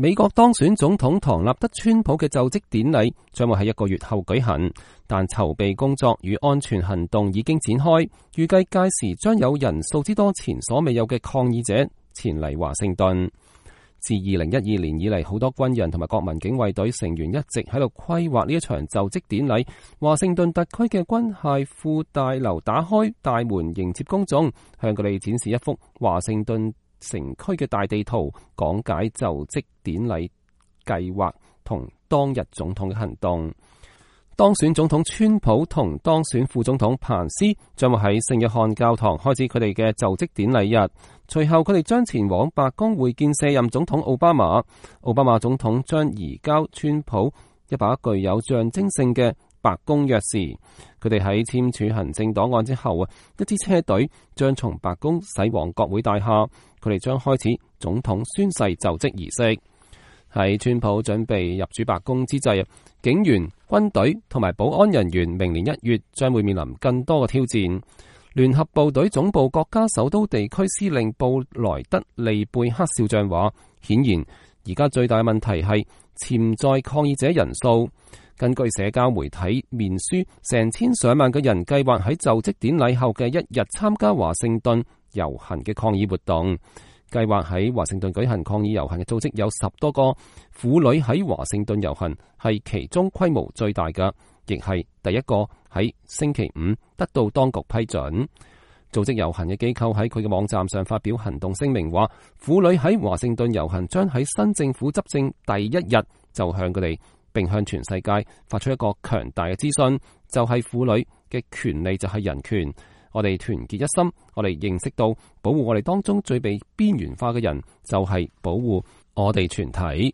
美國當選總統唐納德·川普嘅就職典禮將會喺1個月後舉行，但籌備工作與安全行動已經展開，預計屆時將有人數之多前所未有嘅抗議者前嚟華盛頓。自2012年以嚟，好多軍人同埋國民警衛隊成員一直喺度規劃呢一場就職典禮。華盛頓特區嘅軍械庫大樓打開大門迎接公眾，向佢哋展示一幅華盛頓城區嘅大地圖，講解就職典禮計劃同當日總統嘅行動。當選總統川普同當選副總統彭斯將會喺聖約翰教堂開始佢哋嘅就職典禮日，隨後佢哋將前往白宮會見卸任總統奧巴馬。奧巴馬總統將移交川普一把具有象徵性嘅白宮鑰匙。佢哋喺簽署行政檔案之後，一支車隊將從白宮駛往國會大廈，佢哋將開始總統宣誓就職儀式。喺川普準備入主白宮之際，警員、軍隊同埋保安人員明年1月將會面臨更多嘅挑戰。聯合部隊總部國家首都地區司令布萊德利貝克少將話，顯然而家最大嘅問題係潛在抗議者人數。根據社交媒體面書，成千上萬嘅人計劃喺就職典禮後嘅一日參加華盛頓遊行嘅抗議活動。計劃喺華盛頓舉行抗議遊行嘅組織有10多個，婦女喺華盛頓遊行係其中規模最大嘅，亦係第一個喺星期5得到當局批准。組織遊行嘅機構喺佢嘅網站上發表行動聲明，話婦女喺華盛頓遊行將喺新政府執政第一日就向佢哋並向全世界發出一個強大嘅資訊，就係婦女嘅權利就係人權。我哋團結一心，我哋認識到保護我哋當中最被邊緣化嘅人，就係保護我哋全體。